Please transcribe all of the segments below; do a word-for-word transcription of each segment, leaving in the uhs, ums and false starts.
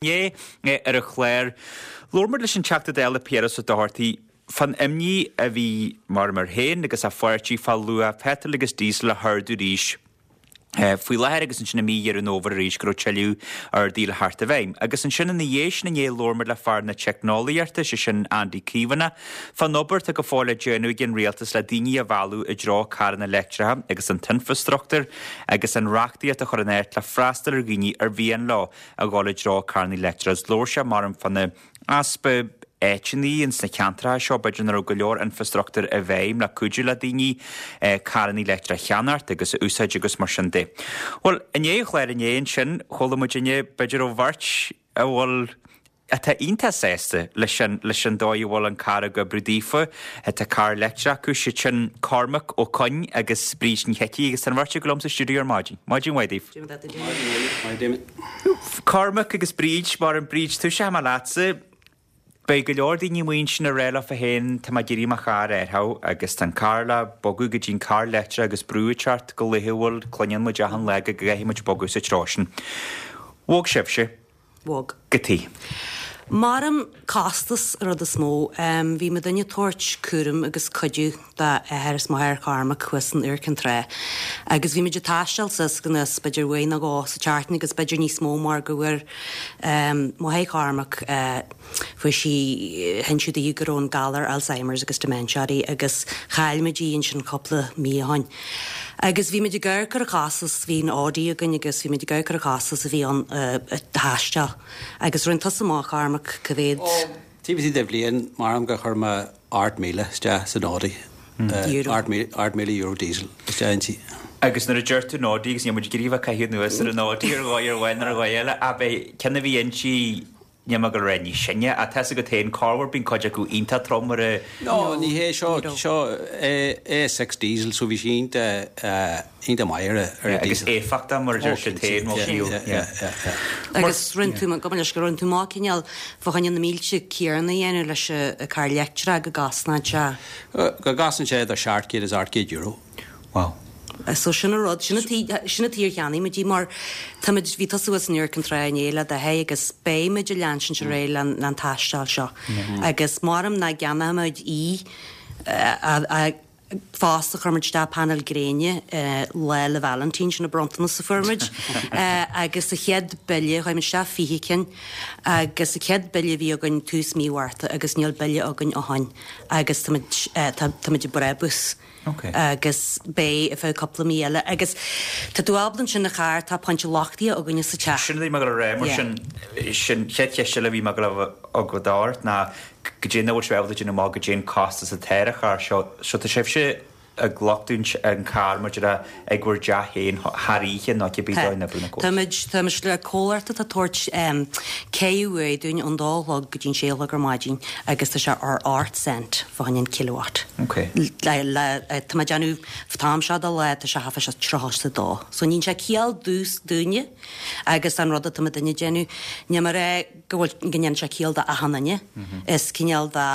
Inné ar an chlár, labhair muid leis an Teachta Dála Piaras Ó Dochartaigh fán imní a bhí mar mar féin agus a pháirtí fá luach peitril agus díosail a hardú arís faoi láthair agus ansin i mí Dheireadh an Fhómhair arís go raibh tuilleadh arduithe le theacht i bhfeidhm. Agus ansin ina dhiaidh sin inné labhair muid le fear na teicneolaíochta, sé sin Andy Caomhánach, fán obair atá go fóill le déanamh ag an rialtas le daoine a mhealladh i dtreo carranna leictreacha agus an t-infreastruchtúr agus an reachtaíocht a chur in áit le freastal ar dhaoine ar mhian leo a dhul i dtreo carranna leictreacha. Labhair sé mar fá na easpa áiteanna ins na ceantracha seo b'fhéidir nach raibh go leor infreastruchtúr i bhfeidhm le cuidiú le daoine carranna leictreacha a cheannacht agus a úsáid agus mar sin de. Bhuel, inné an chlár inné ansin, chuala muid inné b'fhéidir ó bheirt a bhfuil atá iontach sásta leis an leis an dóigh a bhfuil an carr ag oibriú daofa, tá carr leictreach acu, siad sin Cormac Ó Coinn agus Bríd Ní Hicí agus tá an bheirt acu liom sa stiúideo ar maidin. Maidin mhaith daoibh. Maidin. Cormac agus Bríd, mar an Bríd, tosóidh mé leatsa. Beidh go leor daoine amuigh ansin ag rá leofa féin tá mé ag iarraidh mo charr a athrú agus tá an carr le bogadh go dtí an carr leictreach agus brú ag teacht go laethúil, cluineann muid achan lá go gcaithfidh muid bogadh sa treo sin. Bhog sibhse. Bhog. Cad chuige. Maram costas an rud is mó. Bhí muidinne ag tabhairt cúram agus cuidiú d'athair is máthair Chormac thuas in Iúr Cinn Trá agus bhí muid ag taisteal suas go anuas b'fhéidir uair nó dhó sa tseachtain agus b'fhéidir níos mó mar go bhfuair máthair Chormac fuair sí hinsíodh di go raibh an galar Alzheimer's agus dementia uirthi agus chaill muid í ansin cúpla mí ó shin. Agus bhí muid ag amharc ar an chostas, bhí an Audi againn agus bhí muid ag amharc ar an chostas a bhí ann ag taisteal. Agus rinne tusa amach, Cormac, cá mhéad? Ó, taobh istigh de bhliain, maram gur chuir mé ocht míle isteach san Audi. Euro. Ocht míle euro diesel isteach inti. Agus nuair a deir tú an Audi agus níl muid ag iarraidh a bheith ag caitheamh anuas ar an Audi ar dhóigh ar amháin nó ar dhóigh eile, ach b'é ceann a bhí inti Níl mé ag dul a rá níos sine, ach tá's agat féin, corruair bíonn cuid acu iontach trom mar a. No, ní hé seo, seo A six diesel so bhí sí iontach, iontach maith ar a, ar a diesel. Agus éifeachtach mar a deir siad féin, bhuel fiú, yeah. Yeah, yeah. Agus rinne tú, gabh mo leithscéal, rinne tú amach cineál fá choinne na mílte céanna a dhéanamh leis an carr leictreach go gcosnódh sé. Go gcosnaíonn sé idir seacht gcéad is ocht gcéad euro. Wow. So sin an rud, sin an tuige, sin an tuige ar cheannaigh muid í mar táimid, bhí tusa thuas in Iúr Cinn Trá inné le d'athair agus beidh muid ag leansint ar aghaidh le an taisteal seo agus maram nach gceannóidh muid í a fosta chuir muid isteach painéil gréine Lá 'le Vailintín, sin an bronntanas a fuair muid agus a chéad bille, chuir muid isteach fiche cinn agus a chéad bille a bhí againn tús mí Mhárta agus níl bille againn ó shin agus táimid, táimid ag brabús. Agus beidh ar feadh cúpla mí eile. Agus tá tú ábalta ansin a charr, tá pointe luchtaithe againne sa teach. Sin a bhí mé ag dul a rá mar sin, sin chéad cheist eile a bhí mé ag dul a bheith agat ort ná goidé nach bhfuil sibh ábalta déanamh amach goidé an costas atá ar an charr seo. So tá sibhse ag luchtú an carr maidir le ag bhur dteach féin thar oíche nó cibé dóigh a n-oibríonn an córas. Táimid, táimid le comhlacht atá ag tabhairt ceithre uair dúinn ón dó a chlog go dtí an sé a chlog ar maidin agus tá sé ar ocht cent fá choinne an kilowatt. Ok. Le, le, tá mé ag déanamh, an t-am seo de lá tá sé thart fá tríocha is a dó. So níonn sé ciall dús, dúinne agus an rud atá muidinne ag déanamh, níl mé ag rá go bhfuil, go ndéanann sé ciall do achan duine. Is cineál de,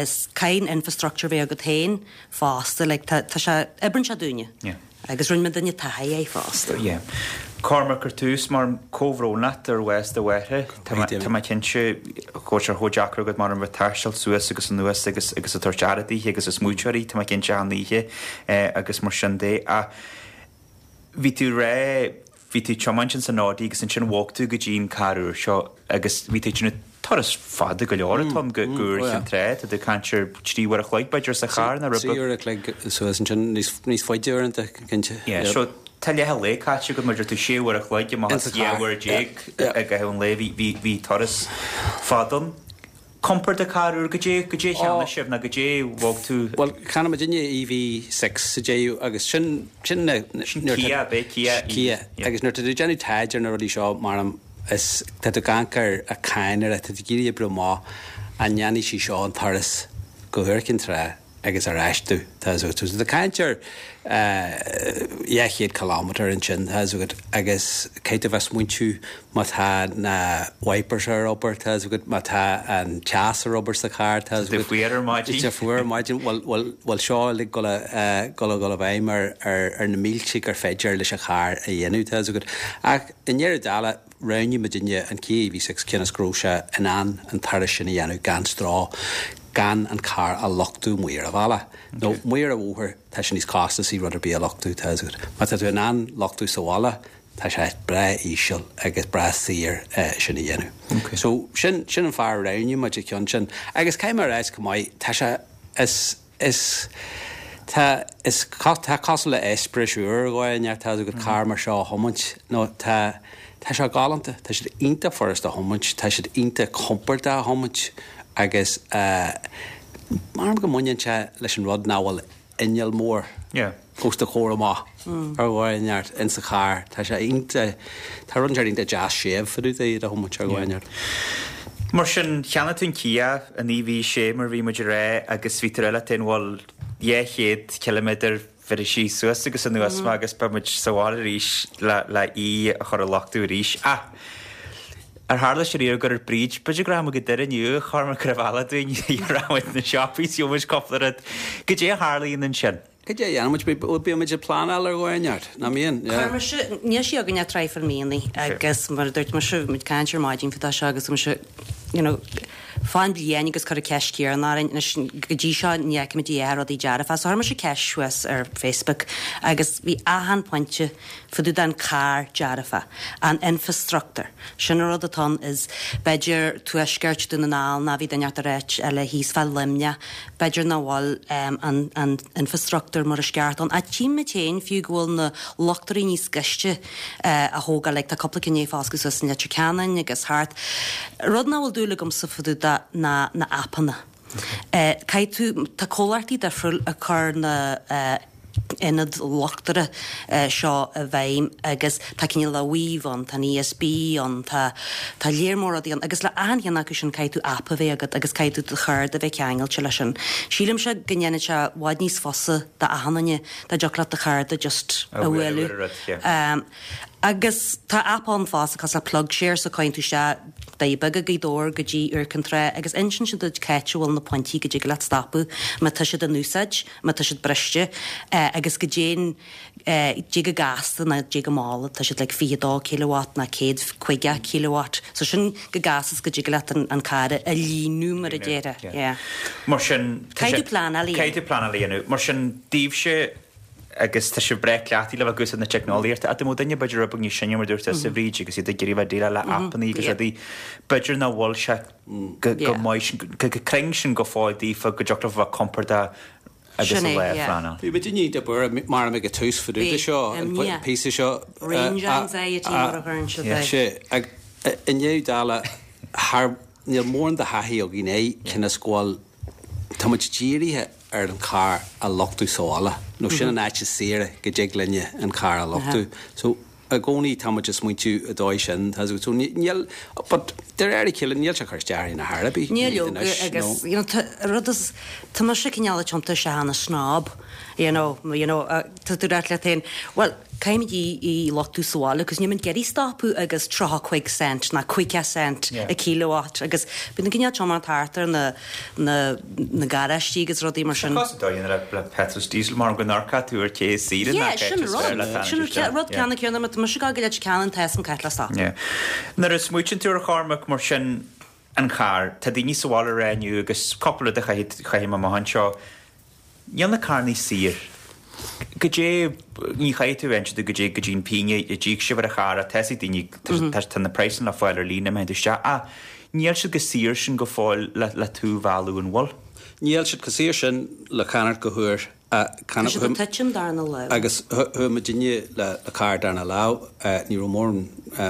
is caithfidh an infrastructure bheith agat féin fosta, like tá, tá sé, oibreann sé dúinne. Yeah. Agus rinne muidinne taithí air fosta. Yeah. Cormac ar tús, mar comhbhrón leat ar bhás do mháthar. Tá mé, tá mé cinnte go bhfuil sé chomh deacair agat mar a bheith ag taisteal suas agus anuas agus agus ag tabhairt aire daoithe agus ag smaoitiú uirthi, tá mé cinnte achan oíche agus mar sin de. Ach bhí tú ag rá, bhí tú ag tiomáint ins an Audi agus ansin bhog tú go dtí an carr úr seo agus bhí tú ag déanamh turas fada go leor atá ann go Iúr Chinn Trá. Tá tú ag caint ar trí uair a chloig b'fhéidir sa charr nó rud Trí uair a chloig suas ansin, níos níos faide uaireanta cinnte. Yeah, so tá leath an lae caite agat mar deir tú sé uair a chloig amach as dhá uair déag i gcaitheamh an lae. Bhí bhí bhí turas fada ann. Compord an carr úr, goidé goidé a cheannaigh sibh nó goidé bhog tú? Bhuel, cheannaigh muidinne EV six sa deireadh agus sin sin na Sin Kia, ab é? Kia EV. Kia. Agus nuair atá tú ag déanamh taighde ar na rudaí seo, maram, is tá tú ag amharc ar a cáin ar tá tú ag iarraidh oibriú amach an ndéanfaidh sí seo an turas go hIúr Cinn Trá agus ar ais tú, tá fhios agat. So tá tú ag caint ar dhá chéad kilometre ansin, tá fhios agat, agus caithfidh tú a bheith ag smaointiú má tá na wipers ar obair, tá fhios agat, má tá an teas ar obair sa charr, tá fhios Tá agat. fuar ar maidin. Tá fuar ar maidin, bhuel, bhuel, bhuel seo uilig dul a, dul a dhul i bhfeidhm ar, ar, ar na mílte gur féidir leis an charr a dhéanamh, tá fhios agat. Ach i ndeireadh dála, roghnaigh muidinne an Kia E V six cionn is go raibh sé in ann an turas sin a dhéanamh gan stró, gan an carr a luchtú amuigh ar an bhealach. Nó amuigh ar an bhóthar, tá sé níos costasaí rud ar bith a luchtú, tá a fhios agat. Má tá tú in ann luchtú sa bhaile, tá sé breá íseal agus breá saor sin a dhéanamh. Okay. So sin sin an fáth a roghnaigh muid an ceann sin. Agus caithfidh mé a rá go maith, tá sé is is tá is tá cosúil le eispéireas úr dhóin tá go carr mar seo a thiomáint nó tá tá sé galánta, tá siad iontach furasta a thiomáint, tá siad iontach compordach a thiomáint agus uh, mar go mbaineann sé leis an rud nach bhfuil inneall mór Yeah. os do chomhair amach ar bhain in sa charr. Tá sé iontach, tá rud iontach deas séimh fá dtaobh de a thiomáint ar bhain. Mar sin, cheannaigh tú an Kia an E V sé mar bhí muid rá agus bhí tú eile ten bhfuil dhá chéad kilometer bhí sí suas agus anuas mm. agus ba muid sa bhaile arís le le í a chur a luchtú arís. Ah, ar tharla sé riamh gur Bríd, b'fhéidir go raibh go deireadh inniu chur go raibh eile dúinn ramuid na siopaí siúmuid cúpla rud. Goidé a tharlaíonn ansin. Goidé dhéanfaimid bímid ag pleanáil ar dhóigh ná mbíonn. Chuir níl sí againn ach traidhfil míonna agus mar a dúirt mise muid caint ar maidin fá seo agus mise you know, fán bliain agus cur ceist céanna orainn anois go dtí seo ní fheicimid í rudaí dearfa, so chuir mise ceist suas ar Facebook agus bhí achan pointe fá dtaobh den carr dearfa, an infrastructure. Sin an rud atá ann is b'fhéidir tuaisceart Dún na nGall ná bhí duine ar áit eile thíos fá Luimneach, b'fhéidir nach bhfuil um, an, an infrastructure mar is ceart ann. A tíime féin fiú go bhfuil na luchtairí níos gaiste uh, a thógáil, like, tá cúpla cinné fásca suas in Leitir Ceanainn agus thart. Rud nach bhfuil dúil agamsa fá dtaobh de na, na appanna. Uh, Caithfidh tú tá comhlachtaí difriúil a chur na uh, ionad luchtaire uh, seo i bhfeidhm agus tá cineál le Weave ann, tá an E S B ann, tá tá léir mór rudaí ann agus le achan cheann acu sin caithfidh tú app a bheith agat agus caithfidh tú do charr a bheith ceangailte leis sin. Sílim se go ndéanann sé i bhfad níos fusa d'achan duine dá dtiocfadh leat do charr just A a bhualadh bhualadh. ar rud, yeah. Um, agus tá app ann fosta cosúil le PlugShare so cuireann tú sé Doirí Beaga Gaoth Dobhair go dtí Iúr Cinn Trá agus insíonn siad duit cá bhfuil na pointí go dtig leat stopadh má tá siad in úsáid, má tá siad briste eh, agus go dtéann eh, dé go gasta ná dé go mála tá siad like fiche dó kilowatt ná céad caoga kilowatt. So sin go gas go dtig leat an, an carr a líonadh mar a déarfá. Yeah. Yeah. Mar sin Caithfidh tú pleanáil a dhéanamh. Caithfidh tú pleanáil a dhéanamh. Mar sin daoibhse agus tá sé breá cleachtaithe le bheith ag úsáid na teicneolaíochta. A mó duine b'fhéidir rud níos sine mar dúirt sa Bhríd agus iad ag iarraidh bheith déileáil le appanna agus Yeah. rudaí. B'fhéidir nach bhfuil sé go go Yeah. maith sin- go go cruinn sin go fóill daofa go dtiocfadh bheith compordach agus Sin a é, le yeah. pleanáil. Bhí muid ní de bur mar ag tús fá Bhí, seo an um, yeah. píosa seo Range anxiety mar a chuireann siad Yeah. é. sé ag inniu dála thar níl mórán de thaithí againn é cionn is go bhfuil tá muid dírithe ar an carr a luchtú sa bhaile. Nó sin an áit is saoire go dtig linne an carr a luchtú. So i gcónaí tá muid ag smaointiú i dóigh sin tá so níl but de réir a chéile níl sé chur isteach na harbí. Níl agus you know, tá- rud is tá mise cineál tiontaithe ina snob you know, you know, uh, tá tú rá leat féin well caithfimid í í luchtú sa bhaile, agus níl muid ag iarraidh stopadh agus tríocha cúig cent ná caoga cent Yeah. a kilowatt agus bíonn cineál tiomáint thart ar na na na garáistí agus rudaí mar sin. Cos dóin le le petrol diesel mar go narca tú ar ché sí. Yeah, sin rud sin rud ceanna ceanna mat mu go le cean tes an caiit le stop. Yeah. Nuair a smaoiníonn tú ar Chormac mar sin an carr, tá daoine sa bhaile inniu agus cúpla de chaithim amach anseo. Níl na carranna saor. Goidé ní chaithfidh tú inse goidé go dtí'n pingin a d'íoc sibh ar a charr tá daoine tá na praghsanna le fáil ar líne me isteach a níl siad go saor sin go fóill le le tú bhálú an bhfuil. Níl siad go saor sin le ceannacht go huair Tá siad ag titim darna lá. Agus chuaigh muidinne le le carr darna lá ní raibh mórán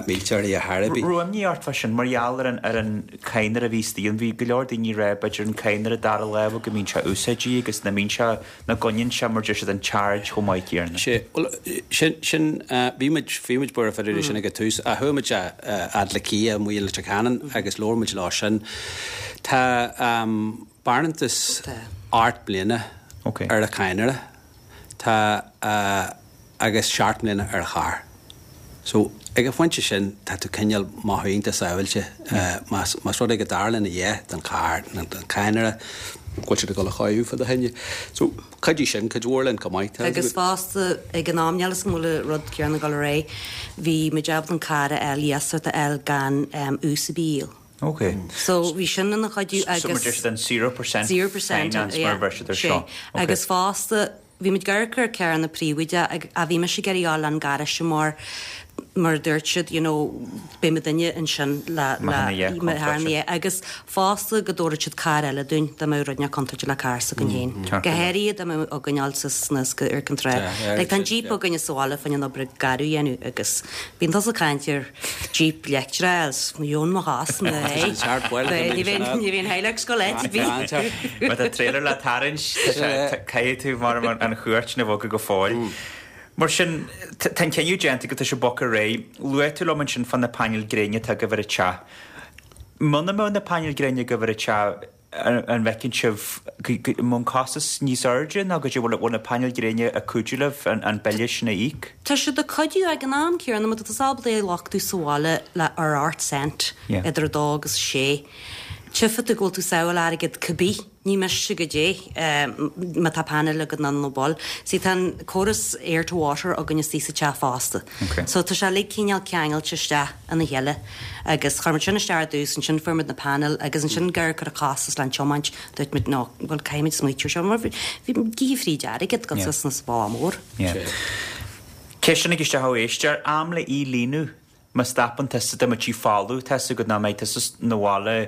mílte a Harabi. Ruam ní art sin mar gheall ar an ar an cadhnra a bhí stíon bhí go leor daoine rá b'fhéidir an cadhnra dara láimhe go mbíonn sé úsáidí agus na mbíonn sé na gcoinníonn sé mar deir siad an charge chomh maith céanna. Sé well, sin sin bhí muid bhí muid buartha fá sin ag tús a chuaigh muid fhad le Kia amuigh le Ceanann agus labhair muid lá sin. Tá um, barántas Tá. ocht mbliana Okay. ar a cadhnra tá uh, agus seacht mbliana ar a charr. So ag an phointe sin tá tú cineál maith sábháilte uh, más más rud é go dtarlaíonn a dhath don charr nó don cadhnra go bhfuil siad ag dul a chaitheamh fá do choinne. So chuidigh sin cuid mhór linn go maith. Agus fosta ag an am níl 'fhios agam an bhfuil an rud céanna ag dul ar aghaidh, bhí muid ábalta an carr a fháil, iasacht a fháil gan ús ar bith a íoc. Ok. So bhí sin ina chuidiú agus. So mar deir siad an zero percent Zero percent, finance mar a bheir siad ar seo. Sé. Agus fosta bhí muid ag amharc ar carranna príobháideacha ag a bhí mise ag iarraidh a fháil an garáiste mar mar a dúirt siad you know beidh mo duine ansin le le le thar na agus fosta go dtabharfadh siad carr eile dúinn dá mbeadh rud inteacht contúirteach le carr s'againn féin. Go háirithe dá mbeadh againn fháil suas suas go Iúr Cinn Trá. Like tá an Jeep againne sa bhaile fá choinne an obair garbh a dhéanamh agus bíonn tusa ag caint ar Jeep leictreach is dheon mo chás mé Ní bheinn ní bheinn Hilux go leith bhí. Má tá trailer le tarraingt caithfidh tú mar an chuairt na bhogadh go fóill. Mar sin, tá an cinneadh déanta go tá sé bogtha ar aghaidh. Luaigh tú liom ansin fá na painéil gréine atá agaibh ar an teach. Muna mbeadh na painéil gréine agaibh ar an teach, an bhfeiceann sibh go mbeadh an costas níos airde nó go bhfuil bhfuil na painéil gréine ag cuidiú libh an bille sin a íoc? Tá siad ag cuidiú ag an am céanna, má tá tú ábalta é a luchtú sa bhaile le ar ocht cent idir a dó agus a sé. Tchífidh tú go bhfuil tú sábháil airgead cibé, ní miste goidé má tá painéil agat nó ná fuil. See tá an córas air to water againn istigh sa teach fosta. So tá sé uilig cineál ceangailte isteach ina chéile agus chuir muid sin isteach ar dtús, ansin fuair muid na painéil agus ansin ag amharc ar an chostas le an tiomáint, dúirt muid no, bhuel caithfidh muid smaoitiú ar seo mar bhí gíth fríd airgead go suas sa bhaile mór. Ceist tháinig isteach ó éisteoir, am le í líonadh má stopann tusa dá mbeadh sí folamh, tá 'fhios agat nach mbeidh tusa 'na bhaile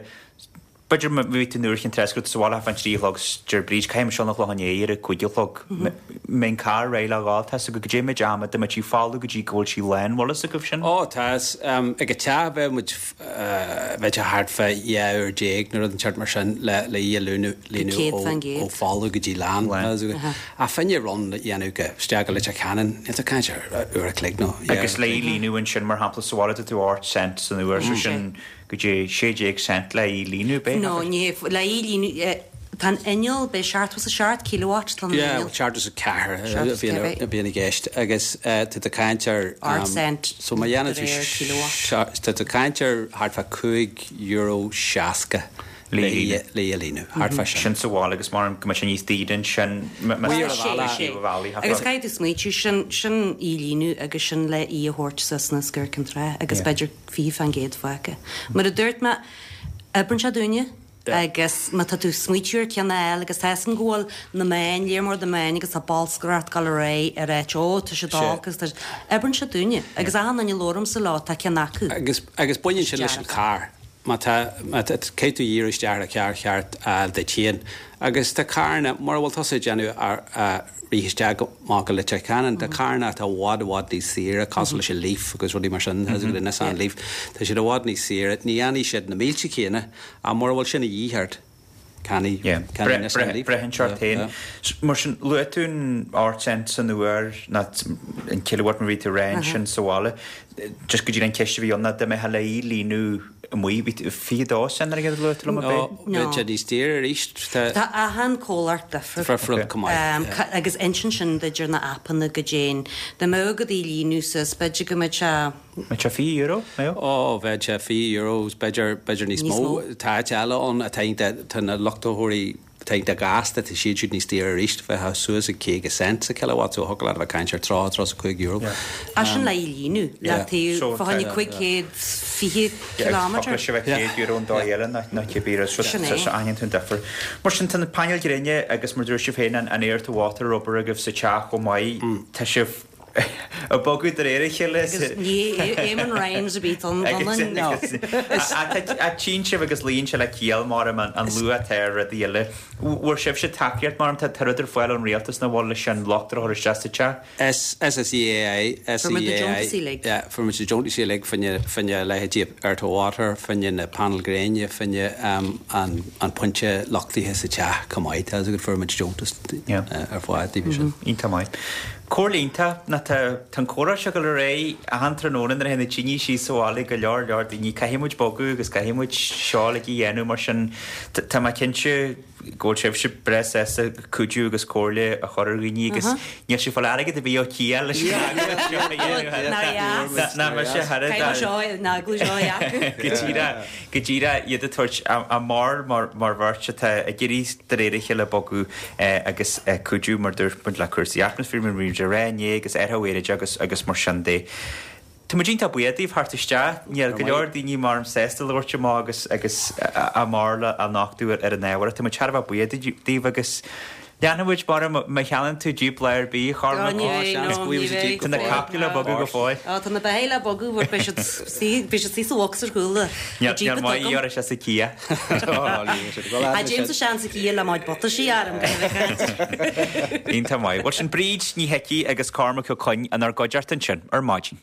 B'fhéidir má bhí tú in Iúr Chinn Trá go raibh tú sa bhaile fán trí a chlog 's deir Bríd, caithfidh mise dul 'na Chlochán Léith ar a cúig a chlog. Mbeidh an carr réidh le dhul, tá 'fhios agat goidé méid ama dá mbeadh sí folamh go dtí go bhfuil sí lán, bhfuil fhios agaibh sin? Ó, tá 'fhios. Ag an teach bheadh muid, bheadh sé thart fá dhá uair déag nó rud inteacht mar sin le le í a líonadh líonadh Céad fán gcéad. ó folamh go dtí lán. Tá 'fhios agat. Ach fá choinne run a dhéanamh go isteach go Leitir Ceanainn, níl tú ag caint ar uair a chloig nó dhá Agus uair le a í chloig. líonadh ansin mar shampla sa bhaile tá tú ocht cent san uair so sin Go dtí sé déag cent le í líonadh, b'é? No, ní hé, le í líonadh, tá an inneall, b'é seachtó is a seacht kilowatt tá an Yeah, inneall. seachtó is a ceathair Seachtó is a bhíonn ceathair. a bhíonn i gceist agus tá tú ag caint ar Ocht cent so má dhéanann de tú réir kilowatt. tá tú ag caint ar thart fá cúig euro seasca Le le í í líonadh. le í a líonadh, thart fá sin. Sin sa bhaile agus mar go mbeadh sé níos daoire ansin má Muir tá a sé bhaile. sé bhealaí thart Agus fá. caithfidh tú smaoitiú, sin sin í líonadh agus sin le í a thabhairt suas na Iúr Cinn Trá agus Yeah. b'fhéidir fiche fán gcéad fágtha. Mar a dúirt mé, oibreann sé dúinne agus má tá tú smaoitiú ar ceann eile agus tá 'fhios agam go bhfuil na meáin, léir mór na meáin agus tá bolscaireacht ag dul ar aghaidh ar áit, ó tá sé Sé. olc agus tá oibreann sé dúinne agus achan duine a labhraímse leo tá ceann acu. Agus agus baineann sin leis an Dearfa. carr. Má tá má tá caithfidh tú díriú isteach ar an charr cheart a fháil duit féin. Agus tá carranna, mura bhfuil tusa ag déanamh ar a rith isteach go maith go Leitir Ceanainn, tá carranna atá i bhfad i bhfad níos saoire, cosúil leis an Leaf agus rudaí mar sin, tá an Nissan Leaf, tá siad i bhfad níos saoire, ní dhéanfaidh siad na mílte céanna, ach mura bhfuil sin a dhíth ort, ceannaigh Yeah. ceannaigh Nissan Leaf. Braitheann sé ort Yeah, féin. yeah. Mar sin, luaigh tú an ocht cent san uair ná an kilowatt mar bhí tú rá ansin sa bhaile. Just go dtí an ceist a bhí ann ná dá mbeifeá le í líonadh amuigh, bhí tú fiche dó cent ar a gcéad luaigh tú liom, ab é? No, bheadh sé níos daoire arís. Tá Tá achan comhlacht difriúil. Difriúil chomh maith, Um, yeah. ca- agus insíonn sin duit ar na aipeanna goidé. Dá mbeadh agat í líonadh suas, b'fhéidir go mbeadh sé Mbeadh sé fiche euro, mbeadh? Ó, bheadh sé fiche euro, b'fhéidir b'fhéidir níos Níos mó. mó. Tá áit eile ann atá iontach, tá na luchtaitheoirí atá iontach gasta, tá siad siúd níos daoire arís, bheadh suas ag caoga cent sa kilowatt, so thiocfadh leat a bheith ag caint ar tríocha, tríocha a cúig euro. Yeah. Ah, sin le í líonadh, le Yeah. taobh So fá choinne tá- cúig chéad fiche Yeah, kilometre. thiocfadh leis a bheith céad euro an dóigh eile ná ná cibé rud, so Sin so é. so aithníonn tú an difear. Mar sin tá na painéil gréine agus mar dúirt sibh féin an an air to water obair agaibh sa teach chomh maith, tá sibh ag bogadh de réir a chéile. Agus ní Éamon Ryan a bhí an A tchíonn sibh agus luíonn sé le ciall mar an an luach atá ar rudaí eile. Bhfuair sibhse tacaíocht mar tá rud ar fáil ón rialtas na bhfuil leis an lucht a chur isteach sa teach? S SSEAI Fuair muid na deontaisí uilig. Yeah, fuair muid na deontaisí uilig fá choinne fá choinne leithéidí air to water, fá choinne na painéil gréine, fá choinne um, an an pointe luchtaithe sa teach chomh maith, tá go fuair muid deontas Yeah. uh, ar fáil daoibh sin. Iontach maith. Comhairle iontach ná tá tá an comhrá seo ag dul ar aghaidh achan tráthnóna nuair a théann na daoine síos sa bhaile go leor leor daoine caithfidh muid bogadh agus caithfidh muid seo uilig a dhéanamh mar sin tá mé cinnte go bhfuil sibhse breá sásta cuidiú agus comhairle a chur ar dhaoine agus níl sibh ag fáil airgead ar bith ó Kia leis an agallamh seo a dhéanamh. Nár dheas. Ná mise thar a Caithfidh seo an agallamh seo a dheacú. Go díreach go díreach iad a tabhairt a mbarr mar mar bheirt atá ag iarraidh de réir a chéile bogadh agus cuidiú mar dúirt muid le cúrsaí atmaisféir mar bhí muid ag rá inné agus athrú aeráide agus agus mar sin de. Tá muid iontach buíoch daoibh theacht isteach. Níl go leor daoine mar sásta labhairt amach agus agus a mbarúil a nochtadh ar an ábhar. Tá muid thar a bheith buíoch daoibh agus leanfaidh muid mar má cheannaíonn tú Jeep lá ar bith Chormac. Tá na capaill le bogadh go fóill. Á tá na beithígh le bogadh mar beidh siad beidh siad sa bhox ar chúl Níl níl maith ar sé sa Kia. A James a sean sa Kia le maid butaisí arm go bheith Iontach maith. Bhuel sin Bríd Ní hIcí agus Cormac Ó Coinn inár gcuideachta ansin ar maidin.